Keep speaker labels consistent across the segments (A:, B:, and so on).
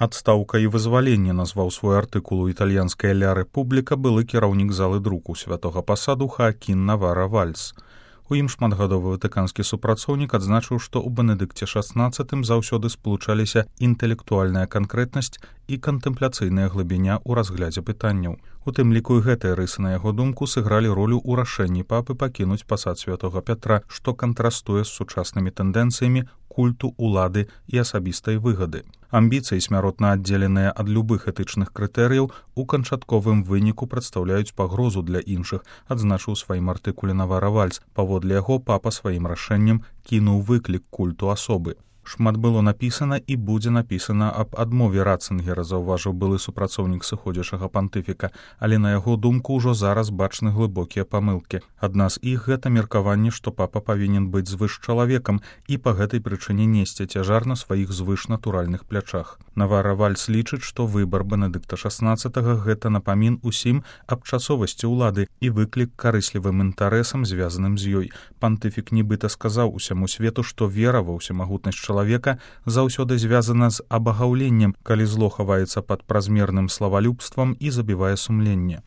A: Адстаўка і вызваленне назваў свой артыкул у італьянскай Ля Рэпубліка былы кіраўнік залы друку святога пасаду Хаакін Навара Вальс. У ім шматгадовы ватыканскі супрацоўнік адзначыў, што ў Бенедыкце XVI заўсёды спалучаліся інтэлектуальная канкрэтнасць і кантэмпляцыйная глыбіня ў разглядзе пытанняў. У тым ліку і гэтыя рысы, на яго думку, сыгралі ролю ў рашэнні папы пакінуць пасад святога Пятра, што кантрастуе з сучаснымі тэндэнцыямі культу улады і асабістай выгады. Амбіцыі, смяротна аддзеленыя ад любых этычных крытэрыяў, у канчатковым выніку прадстаўляюць пагрозу для іншых, адзначыў у сваім артыкуле Навара Вальс. Паводле яго папа сваім рашэннем кінуў выклік культу асобы. Шмат было напісана і будзе напісана аб адмове Ратцынгера, заўважыў былы супрацоўнік сыходзячага пантыфіка, але на яго думку ўжо зараз бачны глыбокія памылкі. Адна з іх гэта меркаванне, што папа павінен быць звышчалавекам і па гэтай прычыне несці цяжар на сваіх звышнатуральных плячах. Навара Вальс лічыць, што выбар Бенедыкта XVI гэта напамін усім аб часовасці ўлады і выклік карыслівым інтарэсам, звязаным з ёй. Пантыфік нібыта сказаў усяму свету, што вера ва ўсемагутнасць чалавека заўсёды звязана з абагаўленнем, калі зло хаваецца пад празмерным славалюбствам і забівае сумленне.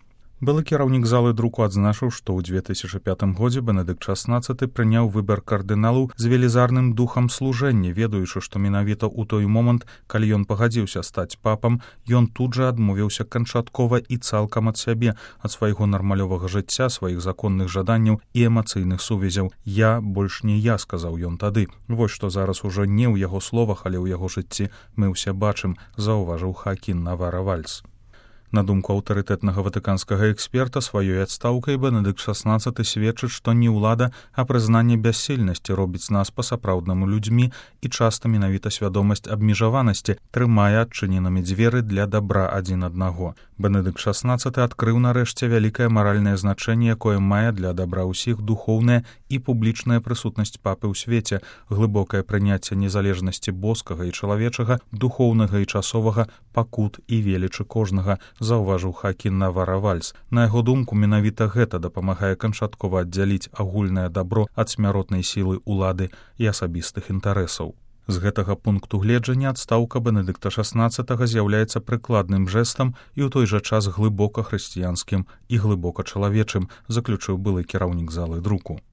A: Былы кіраўнік залы друку адзначыў, што ў 2005 годзе Бенедыкт XVI прыняў выбар кардыналаў з велізарным духам служэння, ведаючы, што менавіта ў той момант, калі ён пагадзіўся стаць папам, ён тут жа адмовіўся канчаткова і цалкам ад сябе, ад свайго нармалёвага жыцця, сваіх законных жаданняў і эмацыйных сувязяў. «Я больш не я», — сказаў ён тады. Вось што зараз ужо не ў яго словах, але ў яго жыцці мы ўсе бачым, заўважыў Хаакін Навара Вальс. На думку аўтарытэтнага ватыканскага эксперта, сваёй адстаўкай Бенедыкт XVI сведчыць, што не ўлада, а прызнанне бяссільнасці робіць нас па-сапраўднаму людзьмі, і часта менавіта свядомасць абмежаванасці трымае адчыненымі дзверы для дабра адзін аднаго. Бенедыкт XVI адкрыў нарэшце вялікае маральнае значэнне, якое мае для дабра ўсіх духоўная і публічная прысутнасць папы ў свеце, глыбокае прыняцце незалежнасці боскага і чалавечага, духоўнага і часовага, пакут і велічы кожнага, заўважыў Хаакін Навара Вальс. На яго думку, менавіта гэта дапамагае канчаткова аддзяліць агульнае дабро ад смяротнай сілы ўлады і асабістых інтарэсаў. З гэтага пункту гледжання адстаўка Бенедыкта XVI з'яўляецца прыкладным жэстам і ў той жа час глыбока хрысціянскім і глыбока чалавечым, заключыў былы кіраўнік залы друку.